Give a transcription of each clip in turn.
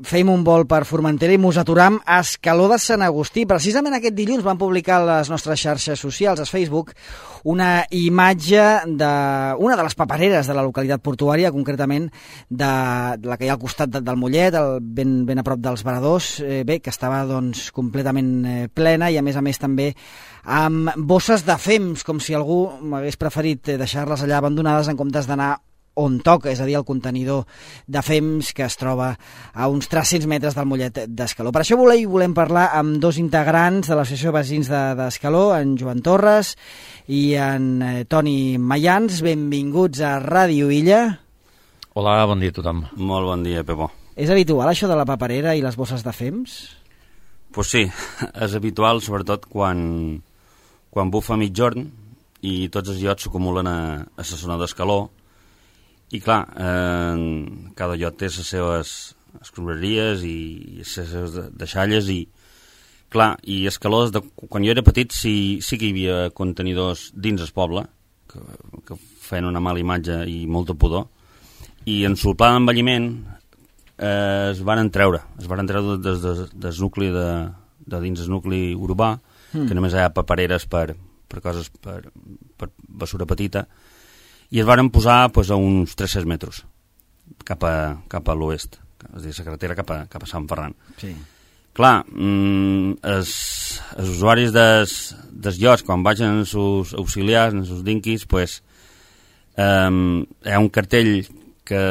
fèiem un vol per Formentera i mos aturam a Escaló de Sant Agustí. Precisament aquest dilluns van publicar a les nostres xarxes socials, a Facebook, una imatge d'una de les papereres de la localitat portuària, concretament de la que hi ha al costat del Mollet, ben a prop dels Varadors, que estava doncs, completament plena i a més també amb bosses de fems, com si algú m'hagués preferit deixar-les allà abandonades en comptes d'anar on toca, és a dir, el contenidor de fems que es troba a uns 300 metres del Mollet d'Escaló. Per això volem parlar amb dos integrants de l'Associació de Veïns d'Escaló, en Joan Torres i en Toni Mayans. Benvinguts a Ràdio Illa. Hola, bon dia a tothom. Molt bon dia, Pepo. És habitual això de la paperera i les bosses de fems? Pues sí, és habitual, sobretot quan bufa mitjorn i tots els llots s'acumulen a la zona d'Escaló. I clar, cada llot té les seves escombraries i les seves deixalles i clar, i Escaló, quan jo era petit sí que hi havia contenidors dins el poble que feien una mala imatge i molta pudor, i en el pla d'envelliment es van treure des del nucli de dins el nucli urbà, que només hi ha papereres per coses, per basura petita, i es van posar a uns 300 metres cap a l'oest, és a dir, la carretera cap a Sant Ferran. Sí. Clar, els usuaris dels llots, quan vagin els seus auxiliars, els seus dinquis, hi ha un cartell que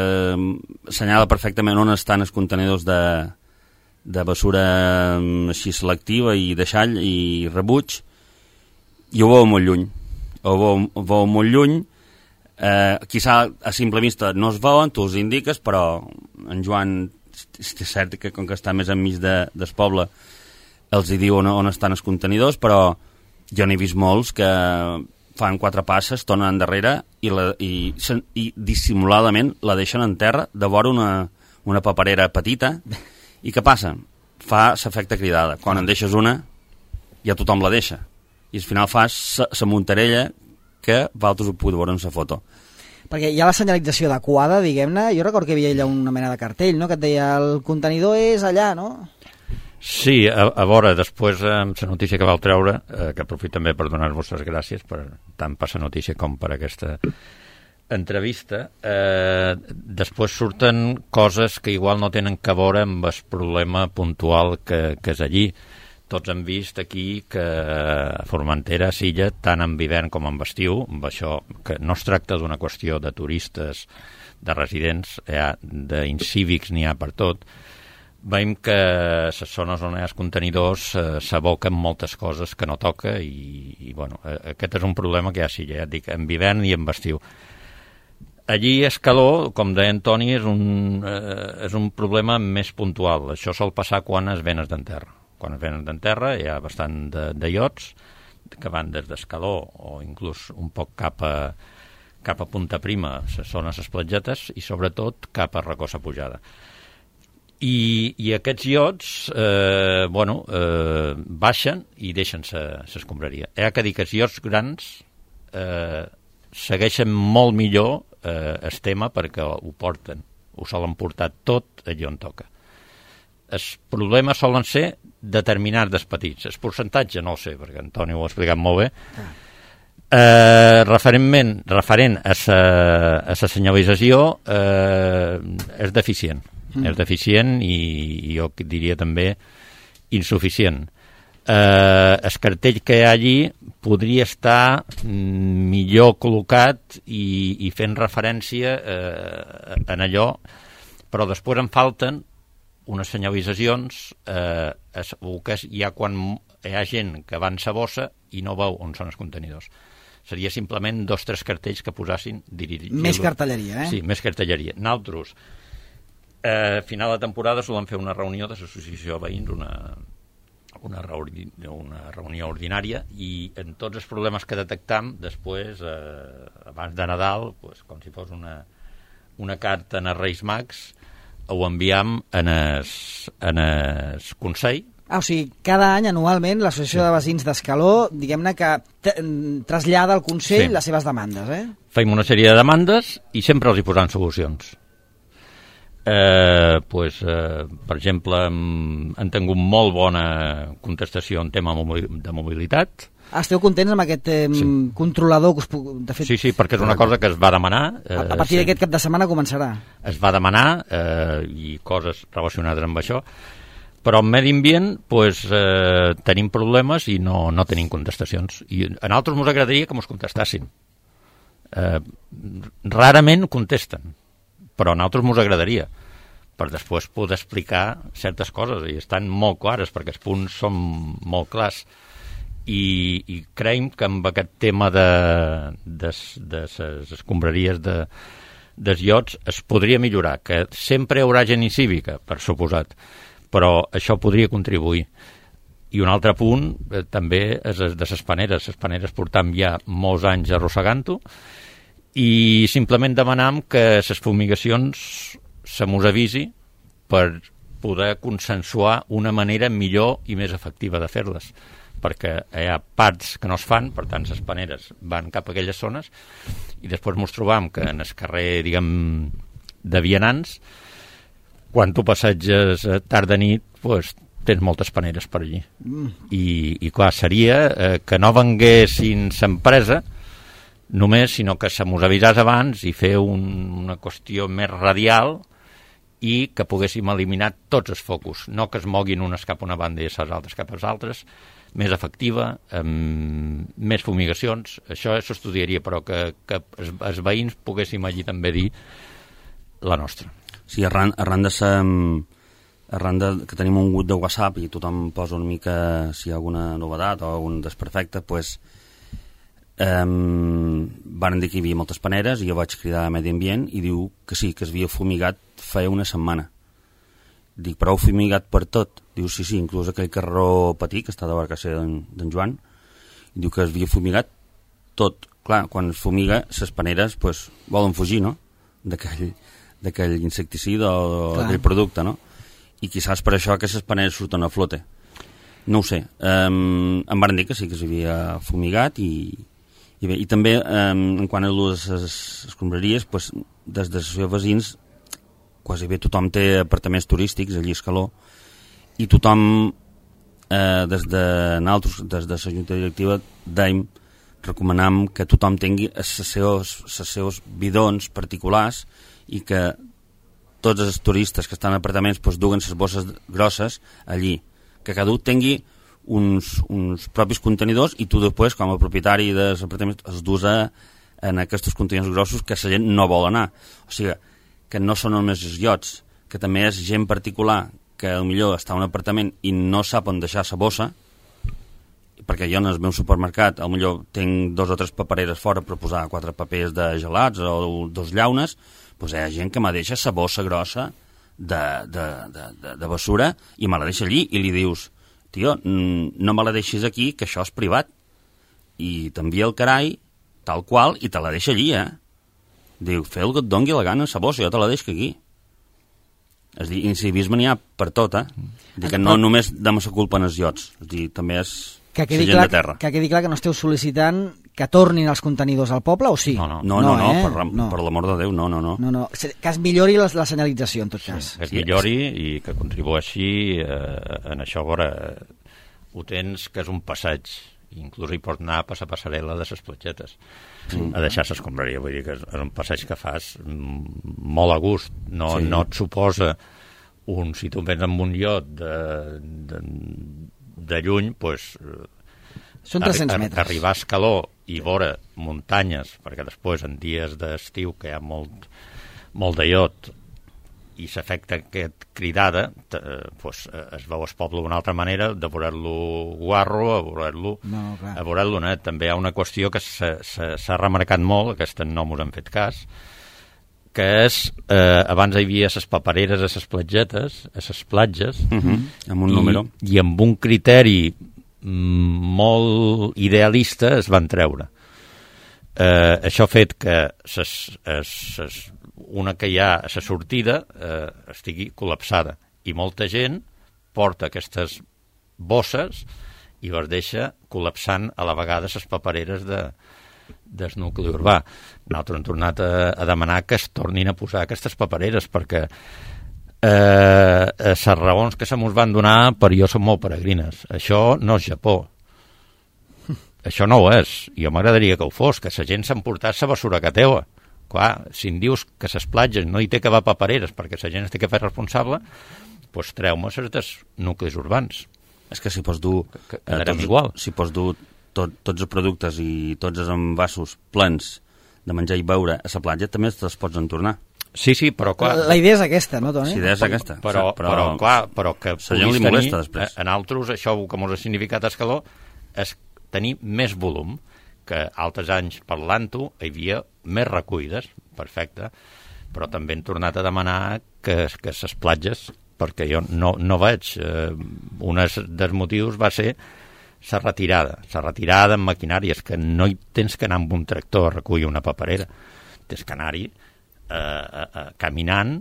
assenyala perfectament on estan els contenidors de basura així selectiva i deixall i rebuig, i ho veu molt lluny. Ho veu molt lluny. Quizà a simple vista no es veuen, tu els indiques, però en Joan és cert que com que està més enmig del poble els hi diu on estan els contenidors, però jo n'he vist molts que fan 4 passes, tornen endarrere i dissimuladament la deixen en terra de vora una paperera petita. I què passa? Fa l'efecte cridada. Quan en deixes una ja tothom la deixa i al final fas la muntarella que vosaltres ho podeu veure en la foto. Perquè hi ha la senyalització adequada, diguem-ne. Jo recordo que hi havia allà una mena de cartell, no?, que et deia el contenidor és allà, no? Sí, a veure, després amb la notícia que vau treure, que aprofito també per donar-vos les gràcies tant per la notícia com per aquesta entrevista, després surten coses que igual no tenen que veure amb el problema puntual que és allí. Tots hem vist aquí que a Formentera, a Silla, tant en hivern com en estiu, amb això que no es tracta d'una qüestió de turistes, de residents, d'incívics n'hi ha per tot, veiem que les zones on hi ha els contenidors s'aboquen moltes coses que no toca i bueno, aquest és un problema que hi ha a Silla, ja et dic, en hivern i en estiu. Allí a Escaló, com deia en Toni, és un problema més puntual. Això sol passar quan es venen d'enterra. Quan es venen d'enterra hi ha bastant de llots que van des d'Escaló o inclús un poc cap a Punta Prima, les zones esplatgetes, i sobretot cap a Recossa Pujada. I aquests llots baixen i deixen l'escombraria. Hi ha que dir que els llots grans segueixen molt millor el tema perquè ho porten, ho solen portar tot allà on toca. Els problemes solen ser determinats dels petits. El percentatge no ho sé, perquè Antoni ho ha explicat molt bé. Referent a la senyalització, és deficient. És deficient i jo diria també insuficient. El cartell que hi ha allí podria estar millor col·locat i fent referència en allò, però després en falten unes senyalitzacions que hi ha quan hi ha gent que va en sa bossa i no veu on són els contenidors. Seria simplement 2 o 3 cartells que posassin més cartelleria, Sí, més cartelleria. Nosaltres, a final de temporada solem fer una reunió de l'associació de veïns, una reunió ordinària, i en tots els problemes que detectam després, abans de Nadal, com si fos una carta en els Reis Mags, ho enviam en el Consell. O sigui, cada any, anualment, l'Associació de Veïns d'Escaló, diguem-ne que trasllada al Consell les seves demandes, Fem una sèrie de demandes i sempre els hi posam solucions. Per exemple, han tingut molt bona contestació en tema de mobilitat. Esteu contents amb aquest controlador? De fet, sí, perquè és una cosa que es va demanar. A partir d'aquest cap de setmana començarà. Es va demanar i coses relacionades amb això, però en medi ambient tenim problemes i no tenim contestacions. I a nosaltres ens agradaria que ens contestessin. Rarament contesten, però a nosaltres ens agradaria per després poder explicar certes coses, i estan molt clares perquè els punts són molt clars, i creiem que amb aquest tema de les escombraries dels iots es podria millorar, que sempre hi haurà gent incívica, per suposat, però això podria contribuir. I un altre punt també és de les paneres. Les paneres portam ja molts anys arrossegant-ho, i simplement demanam que les fumigacions se mos avisi per poder consensuar una manera millor i més efectiva de fer-les, perquè hi ha parts que no es fan, per tant les paneres van cap a aquelles zones, i després ens trobam que en el carrer, diguem, de vianants, quan tu passeges tard de nit, tens moltes paneres per allí. I clar, seria que no venguessin l'empresa només, sinó que se mos avisàs abans i fer una qüestió més radial i que poguéssim eliminar tots els focus, no que es moguin unes cap a una banda i les altres cap a les altres, més efectiva, amb més fumigacions. Això s'estudiaria, però que els veïns poguéssim allí també dir la nostra. Sí, arran de que tenim un grup de WhatsApp i tothom posa una mica si hi ha alguna novetat o algun desperfecte, van dir que hi havia moltes paneres i jo vaig cridar a Medi Ambient i diu que sí, que es havia fumigat feia una setmana. Dic, però heu fumigat per tot? Diu, sí, inclús aquell carreró Patí, que està de Barcasser d'en Joan, i diu que es havia fumigat tot. Clar, quan es fumiga, les paneres volen fugir, no?, d'aquell insecticida o d'aquell producte, no? I quizás per això que les paneres surten a flote. No ho sé. Em van dir que sí que s'havia fumigat i també, en quant a les escombraries, des de els veïns, quasi bé tothom té apartaments turístics allí a Escaló, i tothom, des de la Junta Directiva, recomanam que tothom tingui els seus bidons particulars i que tots els turistes que estan en apartaments duguen les bosses grosses allí, que cada un tingui uns propis contenidors i tu després, com a propietari dels apartaments, els dus en aquests contenidors grossos que la gent no vol anar. O sigui, que no són només els iots, que també és gent particular que potser està en un apartament i no sap on deixar la bossa, perquè jo en el meu supermercat potser tinc 2 o 3 papereres fora per posar 4 papers de gelats o 2 llaunes, hi ha gent que me deixa la bossa grossa de bessura i me la deixa allí i li dius, tio, no me la deixis aquí, que això és privat, i t'envia el carai tal qual i te la deixa allí, Diu, feu el que et dongui la gana, la bossa, jo te la deixo aquí. És dir, incivisme n'hi ha per tot, Dic que no només dama la culpa en els iots, és dir, també és la gent de terra. Que quedi clar que no esteu sol·licitant que tornin els contenidors al poble, o sí? No, per l'amor de Déu, no. Que es millori la senyalització, en tot cas. Que es millori i que contribueixi en això. Veure, ho tens que és un passeig, inclús hi pots anar per la passarel·la de les platgetes, a deixar l'escombraria. Vull dir que és un passeig que fas molt a gust, no et suposa si tu vens amb un iot de lluny, són 300 metres. Arribar a Escaló i veure muntanyes, perquè després en dies d'estiu que hi ha molt de iot i s'afecta aquest cridada, es veu el poble d'una altra manera, de veure-lo guarro, a veure-lo net. També hi ha una qüestió que s'ha remarcat molt, aquesta no m'ho han fet cas, que és, abans hi havia les papereres a les platgetes, a les platges, amb un número. I amb un criteri molt idealista es van treure. Això ha fet que una que hi ha a la sortida estigui col·lapsada i molta gent porta aquestes bosses i les deixa col·lapsant a la vegada les papereres del nucli urbà. Nosaltres hem tornat a demanar que es tornin a posar aquestes papereres perquè les raons que se mos van donar per jo són molt peregrines. Això no és Japó. Això no ho és. Jo m'agradaria que ho fos, que la gent s'emportàs la bessura que teua. Clar, si em dius que les platges no hi té que haver papereres perquè la gent es té que fer responsable, doncs treu-me dels nuclis urbans. És que si pots dur... igual. Si pots dur tots els productes i tots els envasos plens de menjar i beure a la platja, també te'ls pots entornar. Sí, però clar... La idea és aquesta, no, Toni? La idea és aquesta. Però que puguis tenir... En altres, això que mos ha significat escaló és tenir més volum, que altres anys parlant-ho hi havia més recullides, perfecte, però també hem tornat a demanar que les platges, perquè jo no veig... Un dels motius va ser la retirada en maquinàries, que no hi tens que anar amb un tractor a recollir una paperera, tens que anar-hi caminant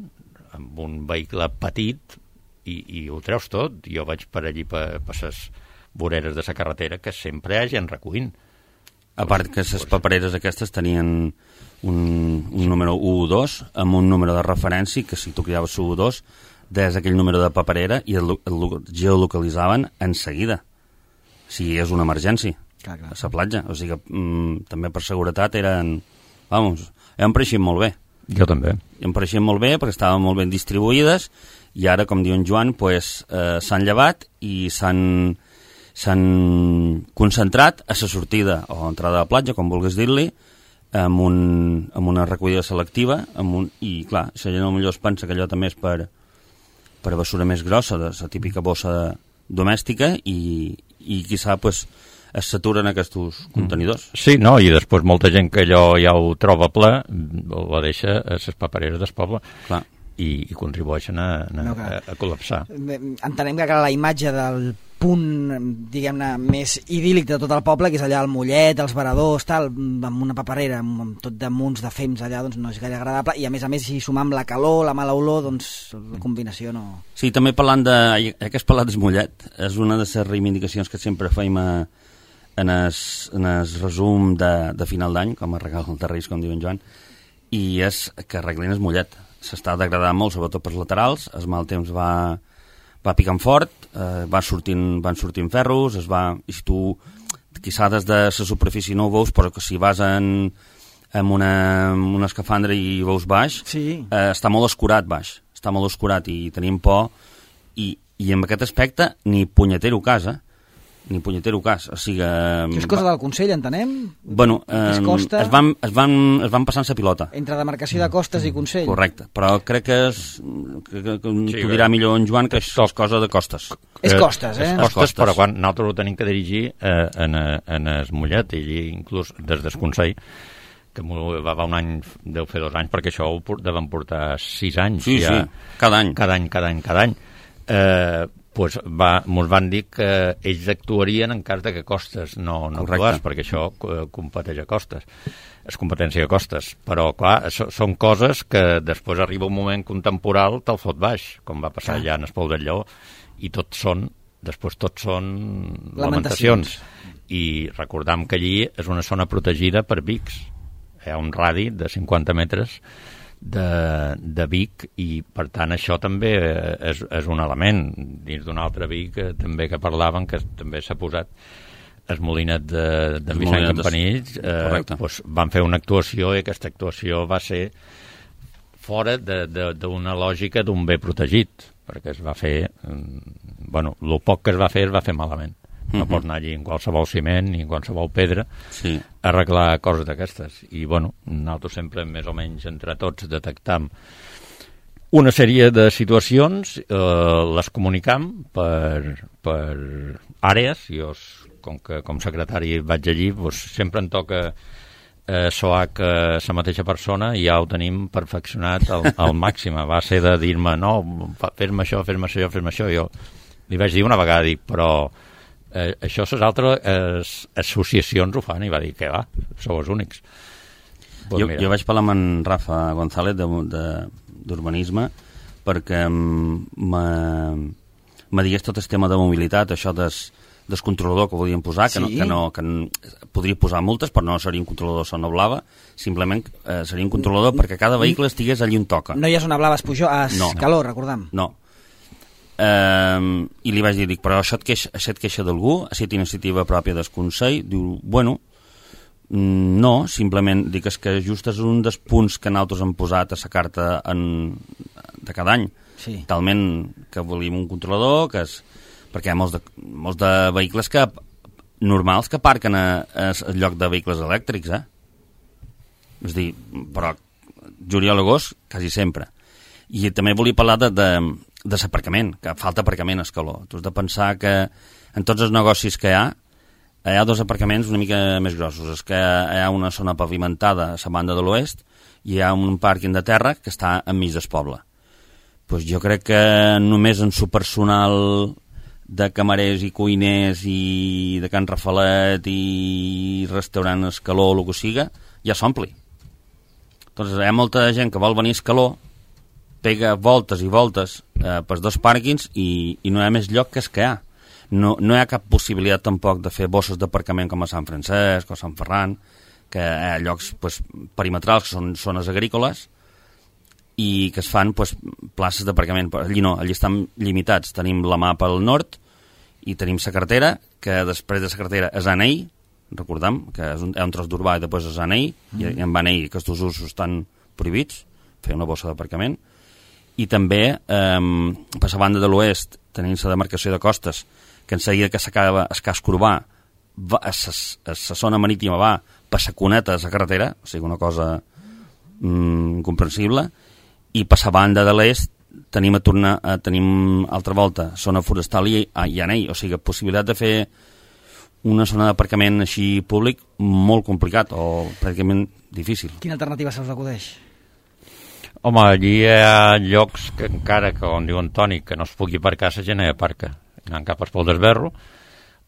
amb un vehicle petit i ho treus tot. Jo vaig per allí per les voreres de la carretera que sempre hi ha gent recollint. A part que les papereres aquestes tenien un número 1 o 2 amb un número de referència que si tu cridaves l'1 o 2 des aquell número de paperera i el geolocalitzaven en seguida si és una emergència a la platja. O sigui que també per seguretat eren pareixien molt bé. Jo també. Em pareixien molt bé perquè estaven molt ben distribuïdes i ara, com diu en Joan, s'han llevat i s'han concentrat a la sortida o entrada a la platja, com vulguis dir-li, amb una recollida selectiva i, clar, la gent potser es pensa que allò també és per bessura més grossa, de la típica bossa domèstica i quizà es saturen aquests contenidors. Sí, no, i després molta gent que allò ja ho troba ple ho deixa a les papereres del poble. Clar. I contribueixen a col·lapsar. Entenem que la imatge del punt, diguem-ne, més idíl·lic de tot el poble, que és allà el Mollet, els Varadors, tal, amb una paperera, amb tot de munts de fems allà, doncs no és gaire agradable, i a més, si sumar amb la calor, la mala olor, doncs la combinació no... Sí, també parlant que has parlat del Mollet, és una de les reivindicacions que sempre feim en el resum de final d'any, com a regal de Reis, com diu en Joan, i és que arreglin el Mollet. S'està degradant molt, sobretot pels laterals, el mal temps va picant fort, van sortint ferros, i si tu, quizà des de la superfície no ho veus, però que si vas en una escafandra i veus baix, sí. Està molt escurat baix, i tenim por, i en aquest aspecte ni punyetero cas, o sigui... Això és cosa del Consell, entenem? Bueno, es van passant la pilota. Entre demarcació de costes i Consell. Correcte, però crec que t'ho dirà millor en Joan, que és cosa de costes. És costes, És costes, però quan nosaltres ho tenim que dirigir en el Mollet, i inclús des del Consell, que va un any, deu fer 2 anys, perquè això ho deven portar 6 anys. Sí, ja, cada any. Cada any. Mos van dir que ells actuarien en cas de que Costes no actués, perquè això competeix a Costes, és competència de Costes, però clar, són coses que després arriba un moment que un temporal te'l fot baix, com va passar allà en el Pou del Lleó, i tot són lamentacions. I recordam que allí és una zona protegida per Vics, hi ha un radi de 50 metres de Vic, i per tant això també és un element dins d'un altre Vic també que parlaven, que també s'ha posat el Molinet de Vicent Campanills, van fer una actuació, i aquesta actuació va ser fora d'una lògica d'un bé protegit, perquè es va fer el poc que es va fer malament. No pots anar allí en qualsevol ciment ni en qualsevol pedra a arreglar coses d'aquestes. I, nosaltres sempre, més o menys, entre tots, detectam una sèrie de situacions, les comunicam per àrees. Jo, com secretari vaig allí, sempre em toca SOAC la mateixa persona, i ja ho tenim perfeccionat al màxim. Va ser de dir-me, no, fes-me això. Jo li vaig dir una vegada, però això les altres associacions ho fan, i va dir que sou els únics. Jo vaig parlar amb en Rafa González d'urbanisme perquè me digués tot el tema de mobilitat, això del controlador que volien posar, que podria posar multes, però no seria un controlador zona blava, simplement seria un controlador perquè cada vehicle estigués allí on toca. No hi ha zona blava a Escaló, recordem. No. I li vaig dir, però això et queixa d'algú? Ha estat iniciativa pròpia del Consell? Diu, bueno, no, simplement dic que just és un dels punts que nosaltres hem posat a la carta de cada any. Sí. Talment que volíem un controlador, perquè hi ha molts de vehicles normals que aparquen al lloc de vehicles elèctrics, És a dir, però juliol, agost, quasi sempre. I també volia parlar de l'aparcament, que falta aparcament a Escaló. Tu has de pensar que en tots els negocis que hi ha dos aparcaments una mica més grossos. És que hi ha una zona pavimentada a la banda de l'oest i hi ha un pàrquing de terra que està enmig del poble. Pues jo crec que només en su personal de camarers i cuiners i de Can Rafalet i restaurant Escaló o el que siga, ja s'ompli. Doncs hi ha molta gent que vol venir a Escaló, pega voltes i voltes pels dos pàrquings i no hi ha més lloc que és que hi ha. No hi ha cap possibilitat tampoc de fer bosses d'aparcament com a Sant Francesc o Sant Ferran, que hi ha llocs perimetrals que són zones agrícoles i que es fan places d'aparcament. Allí no, allí estan limitats. Tenim la mà pel nord i tenim la carretera, que després de la carretera és Anell, recordem que hi ha un tros d'urbà i després és Anell, i en Anell aquests usos estan prohibits, fer una bossa d'aparcament. I també, per la banda de l'oest, tenim la demarcació de costes, que en seguida que s'acaba el casc urbà, a la zona marítima va per la cuneta de la carretera, o sigui, una cosa incomprensible, i per la banda de l'est tenim altra volta zona forestal i Anell, o sigui, possibilitat de fer una zona d'aparcament així públic molt complicat o pràcticament difícil. Quina alternativa se us acudeix? Home, allí hi ha llocs que encara que, on diu Antoni, que no es pugui aparcar, la gent hi aparca, anant cap al Pol d'Esberro,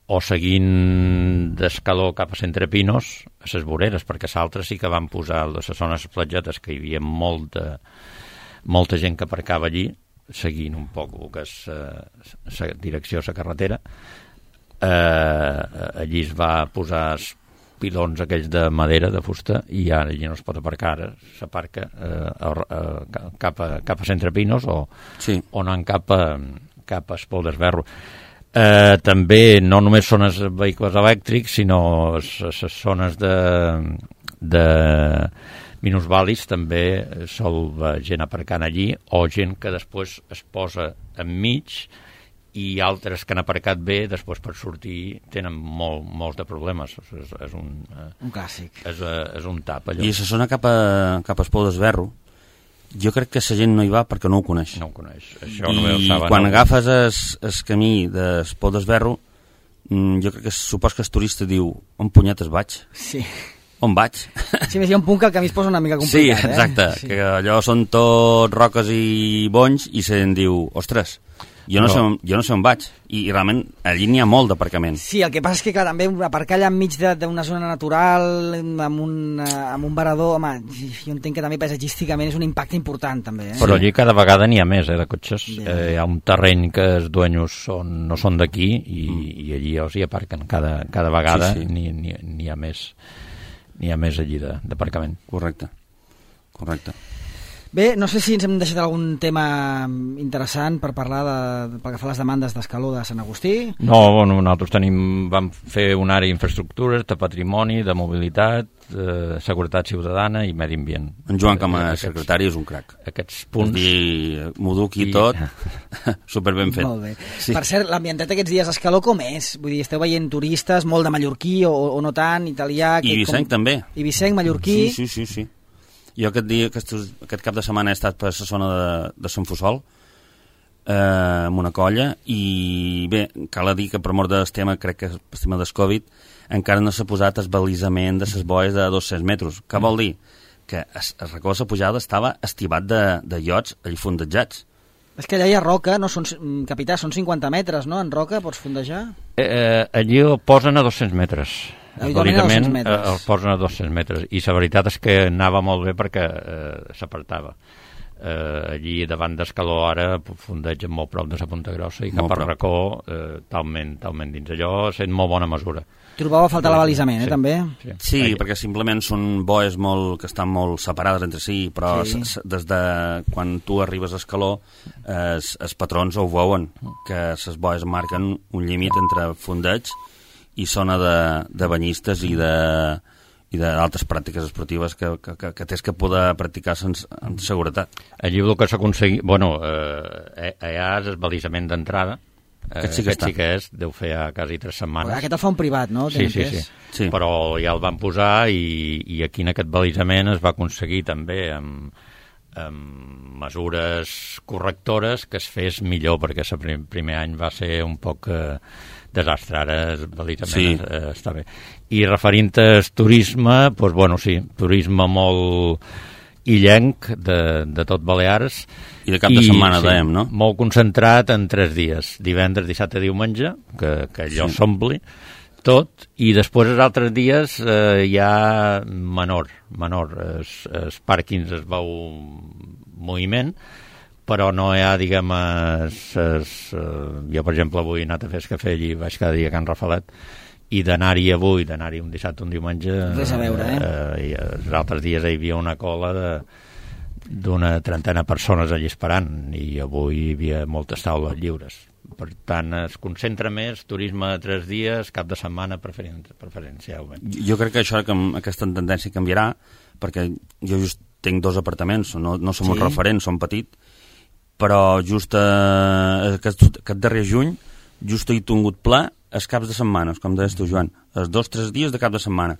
o seguint d'Escaló cap a Centre Pinos, a les voreres, perquè l'altre sí que van posar a les zones platgetes, que hi havia molta gent que aparcava allí, seguint un poc el que és la direcció a la carretera. Allí es va posar pilons aquells de madera, de fusta, i ara allí no es pot aparcar, ara s'aparca cap a Centre Pinos o anant cap a Espol d'Esberro. També no només són els vehicles elèctrics, sinó les zones de minusvàlids també sol gent aparcant allí, o gent que després es posa enmig i altres que han aparcat bé, després per sortir tenen molts de problemes. És un clàssic. És un tap, allò. I la zona cap a Espol d'Esberro, jo crec que la gent no hi va perquè no ho coneix. No ho coneix. Això I quan agafes el camí d'Espol d'Esberro, jo crec que supos que el turista diu, on punyetes vaig? Sí. On vaig? Sí, més hi ha un punt que el camí es posa una mica complicat. Sí, exacte, que allò són tot roques i bonys i se'n diu, ostres, jo no sé on vaig, i realment allí n'hi ha molt d'aparcament. Sí, el que passa és que clar, també aparcar allà enmig d'una zona natural amb un varador, home, jo entenc que també paisatgísticament és un impacte important també. Però allí cada vegada n'hi ha més de cotxes, hi ha un terreny que els dueños no són d'aquí i allí els hi aparquen cada vegada, n'hi ha més allí d'aparcament. Correcte. Bé, no sé si ens hem deixat algun tema interessant per parlar pel que fa a les demandes d'Escaló de Sant Agustí. No, bueno, nosaltres vam fer una àrea d'infraestructures, de patrimoni, de mobilitat, de seguretat ciutadana i medi ambient. En Joan com a secretari és un crac. Aquests punts... M'ho duc i tot, superben fet. Molt bé. Sí. Per cert, l'ambientat aquests dies a Escaló com és? Vull dir, esteu veient turistes, molt de mallorquí o no tant, italià... Ibicenc també. Ibicenc, mallorquí... Sí. Jo aquest cap de setmana he estat per la zona de Sant Fussol, amb una colla, i bé, cal dir que per mort del tema, crec que el tema del Covid, encara no s'ha posat el balisament de les boies de 200 metres. Què vol dir? Que el racó de la pujada estava estivat de llots allà fondejats. És que allà hi ha roca, no? Capità, són 50 metres, no? En roca pots fondejar? Allí el posen a 200 metres. Habitualment el posen a 200 metres i la veritat és que anava molt bé perquè s'apartava. allí davant d'Escaló ara fondegen molt prop de la Punta Grossa i cap a Racó talment dins. Allò sent molt bona mesura. Trobava a faltar l'abalisament, també? Sí, perquè simplement són boes que estan molt separades entre si, però des de quan tu arribes a Escaló, els patrons ho veuen, que les boes marquen un límit entre fondeig i zona de banyistes i d'altres pràctiques esportives que tens que poder practicar amb seguretat. Allí el que s'ha aconseguit... Bueno, allà és el balisament d'entrada. Aquest sí que és, deu fer quasi 3 setmanes. Aquest el fa un privat, no? Sí. Però ja el van posar i aquí en aquest balisament es va aconseguir també amb mesures correctores que es fes millor, perquè el primer any va ser un poc desastre, ara el balisament està bé. I referint-te al turisme, doncs bueno, sí, turisme molt illenc de tot Balears. I de cap de setmana, dèiem, no? Molt concentrat en 3 dies, divendres, dissabte, diumenge, que allò s'ompli tot, i després els altres dies hi ha menor. Els pàrquings es veu moviment, però no hi ha, diguem, jo, per exemple, avui he anat a fer cafè allí, vaig cada dia a Can Rafalet, i d'anar-hi avui, d'anar-hi un dissabte, un diumenge... Res a veure, I els altres dies hi havia una cola d'una 30 persones allà esperant, i avui hi havia moltes taules lliures. Per tant, es concentra més turisme de 3 dies, cap de setmana preferencialment. Jo crec que aquesta tendència canviarà, perquè jo just tinc 2 apartaments, no som un referent, som petit, però just aquest darrer juny just he tingut ple els caps de setmana, com deies tu, Joan, els 2-3 dies de cap de setmana.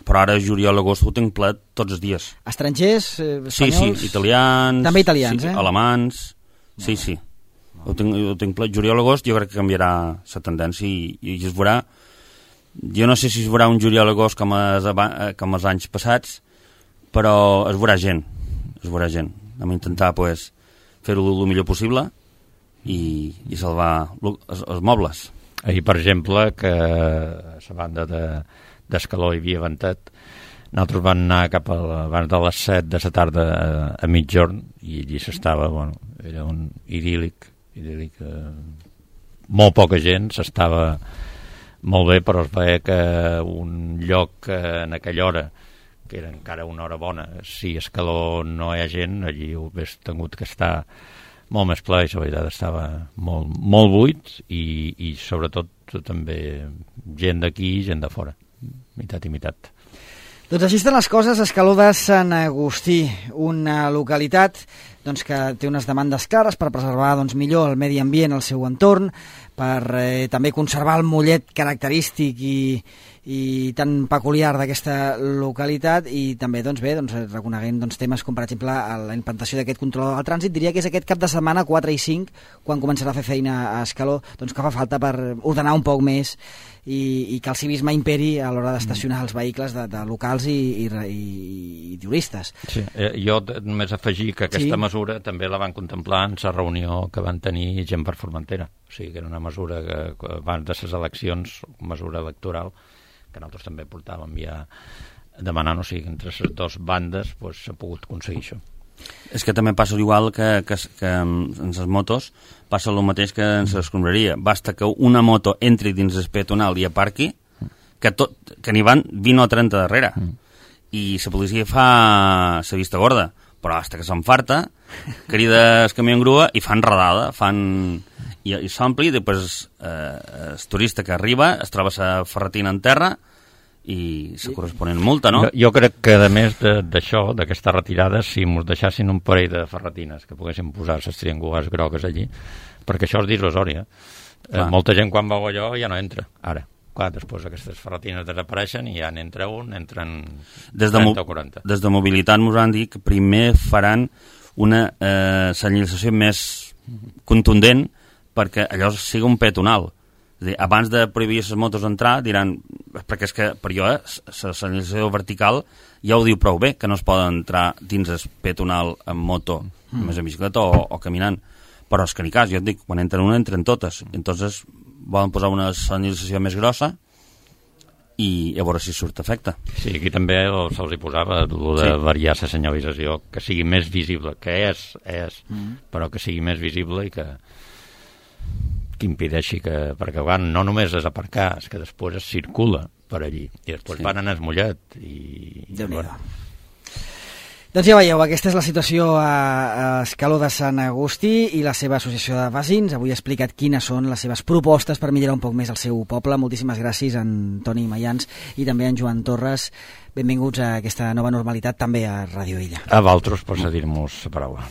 Però ara, juliol, agost, ho tinc ple tots els dies. Estrangers, espanyols? Sí, italians... També italians, alemans... Sí. Ho tinc ple. Juliol, agost, jo crec que canviarà la tendència i es veurà... Jo no sé si es veurà un juliol, agost com els anys passats, però es veurà gent. Hem d'intentar fer-ho el millor possible i salvar els mobles. Ahir, per exemple, que a la banda d'Escaló hi havia ventat, nosaltres vam anar cap abans de les 7 de la tarda a mitjorn i allí s'estava, bueno, era un idíl·lic, molt poca gent, s'estava molt bé, però es veia que un lloc en aquella hora, que era encara una hora bona, si a Escaló no hi ha gent, allí ho hagués tingut que estar molt més ple, i la veritat estava molt buit i sobretot també gent d'aquí i gent de fora, meitat i meitat. Doncs així estan les coses a Escaló de Sant Agustí, una localitat que té unes demandes clares per preservar millor el medi ambient, el seu entorn, per també conservar el mollet característic i tan peculiar d'aquesta localitat i també reconeguent temes com per exemple la implantació d'aquest control del trànsit. Diria que és aquest cap de setmana 4 i 5 quan començarà a fer feina a Escaló, que fa falta per ordenar un poc més i que el civisme imperi a l'hora d'estacionar els vehicles de locals i turistes. Sí, jo només afegir que aquesta mesura també la van contemplar en la reunió que van tenir gent per Formentera, o sigui que era una mesura que abans de les eleccions, mesura electoral, que nosaltres també portàvem ja demanant, o sigui, entre les 2 bandes s'ha pogut aconseguir això. És que també passa igual que en les motos, passa el mateix que en l'escombraria. Basta que una moto entri dins el peatonal i aparqui, que n'hi van 20 o 30 darrere. I la policia fa la vista gorda, però hasta que s'enfarta, crida el camió en grua i fan redada, i s'ompli, després el turista que arriba es troba la ferretina en terra i la corresponent multa, no? Jo crec que, a més d'això, d'aquesta retirada, si ens deixassin un parell de ferretines que poguessin posar les triangulars grogues allí, perquè això és dissuasori, molta gent quan veu allò ja no entra, ara. Clar, després aquestes ferretines desapareixen i ja n'entra un, entren 30 o 40. Des de mobilitat ens han dit que primer faran una senyalització més contundent perquè allò sigui un peatonal. És a dir, abans de prohibir les motos entrar, diran, perquè és que per jo la senyalització vertical ja ho diu prou bé, que no es poden entrar dins el peatonal amb moto, més en bicicleta o caminant. Però és que ni cas, jo et dic, quan entren una, entren totes. Entonces volen posar una senyalització més grossa i a veure si surt efecte. Sí, aquí també se'ls hi posava el de variar la senyalització, que sigui més visible, que és, però que sigui més visible i que impedeixi que... Perquè no només és aparcar, és que després es circula per allí, i després van anar esmollat i... Doncs ja veieu, aquesta és la situació a Escaló de Sant Agustí i la seva associació de veïns. Avui ha explicat quines són les seves propostes per millorar un poc més el seu poble. Moltíssimes gràcies a Toni Mayans i també a Joan Torres. Benvinguts a aquesta nova normalitat, també a Ràdio Illa. A vosaltres per cedir-nos la paraula.